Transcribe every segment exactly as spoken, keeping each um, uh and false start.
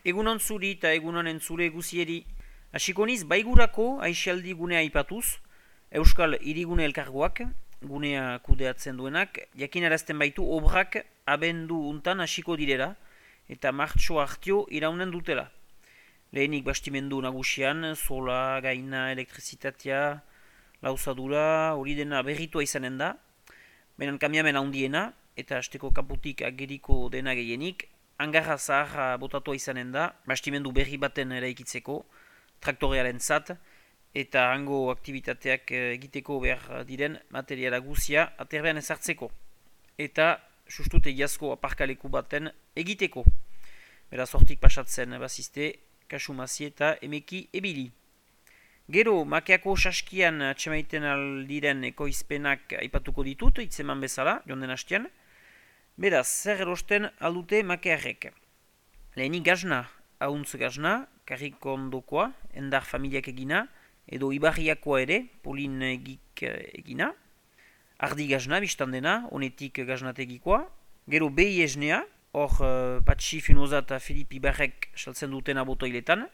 Egunon zuri eta egunon entzule guzieri. Hasiko niz baigurako aisialdi gunea aipatuz, Euskal Hirigune Elkargoak, gunea kudeatzen duenak, jakinarazten baitu obrak abendu untan hasiko direla eta martxo hartio iraunen dutela. Lehenik bastimendu nagusian, sola, gaina, elektrizitatea, lauzadura, hori dena berritua izanen da, benen kamiamen handiena eta hasteko kaputik ageriko dena gehienik, hangarra zaharra botatua izanen da, bastimendu berri baten eraikitzeko, traktorearen zat, eta hango aktivitateak egiteko behar diren materiala guzia aterbean ezartzeko. Eta sustut egiazko aparkaleku baten egiteko. Beraz hortik pasatzen bazizte, kasumazi eta emeki ebili. Gero, makeako saskian atxemaiten aldiren ekoizpenak aipatuko ditut, itzeman bezala, jonden hastian. Beraz, zer erosten aldute makearrek. Lehenik gazna, hauntz gazna, karrikondokoa, endar familiak egina, edo ibarriakoa ere, polin egik egina. Ardi gazna, biztan dena, honetik gaznategikoa. Gero behi esnea, hor uh, Patxi Finoza eta Filip Ibarrek saltzen dutena botoiletan.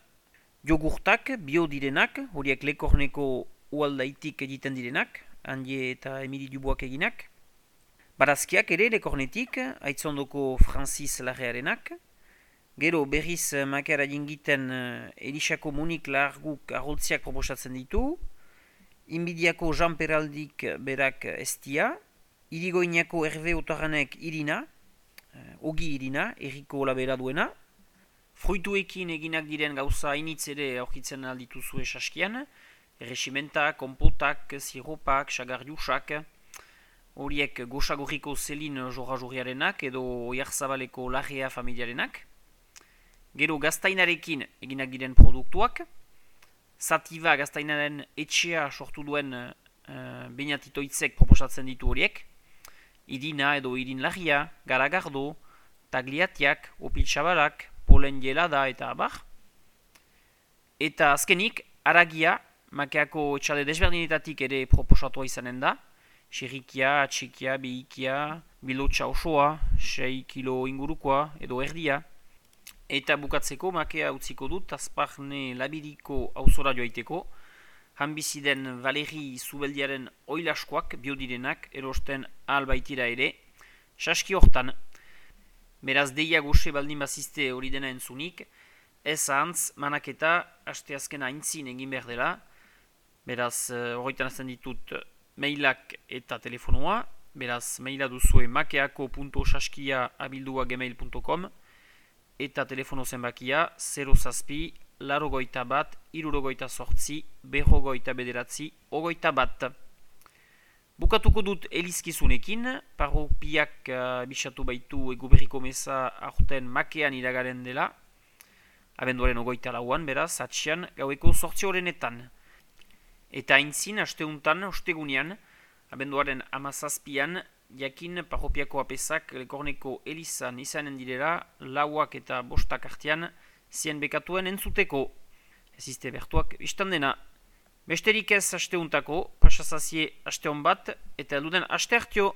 Jogurtak, bio direnak, horiek lekorneko ualdaitik egiten direnak, Andie eta Emili Duboak eginak. Barazkiak ere lekornetik, aitzondoko Francis Larrearenak. Gero berriz makeara jingiten uh, Elisako Monik Larguk arroltziak proposatzen ditu. Inbidiako Jean Peraldik berak estia. Irigoinako Hervé Otarranek irina. Uh, Ogi irina, erriko labera duena. Fruituekin eginak diren gauza hainitz ere aurkitzen aldituzue saskian. Erreximentak, kompotak, siropak, sagarriusak. Horiek goxagorriko Zelin Jorra-Jorriarenak edo Oiarzabaleko Larrea familiarenak. Gero gaztainarekin eginak diren produktuak. Sativa gaztainaren etxea sortu duen uh, Beñatitoitzek proposatzen ditu horiek. Irina edo irin larria, garagardo, tagliatiak, opiltsabalak, polen jelada eta abar. Eta azkenik, aragia, makeako etxalde desberdinetatik ere proposatua izanen da. Xerrikia, atxikia, behikia, bilotxa osoa, sei kilo ingurukoa edo erdia. Eta bukatzeko makea utziko dut Azparne Labiriko auzora joaiteko, hanbiziden Valeri Zubeldiaren oilaskoak biodirenak erosten ahal baitira ere, saski hortan. Beraz deia goxe baldin bazizte hori dena entzunik, ez ahantz manaketa asteazken aintzin egin behar dela, beraz horretan azten ditut mailak eta telefonoa, beraz maila duzue makeako punto saskia abildua gmail punto com, eta telefono zenbakia zero zazpi, larogoita bat, irurogoita sortzi, berrogoita bederatzi, ogoita bat. Bukatuko dut elizkizunekin, parropiak uh, bisatu baitu eguberriko meza aurten makean iragaren dela, abenduaren ogoita lauan, beraz, atxian gaueko sortzi horrenetan. Eta aintzin, asteuntan, ostegunean, abenduaren amazazpian, jakin parropiako apesak lekorneko elizan izanen direla, lauak eta bostak artean, zien bekatuen entzuteko. Ez izte bertuak biztan dena. Besterik ez asteuntako, pasazazie asteon bat, eta elduden aste hartio.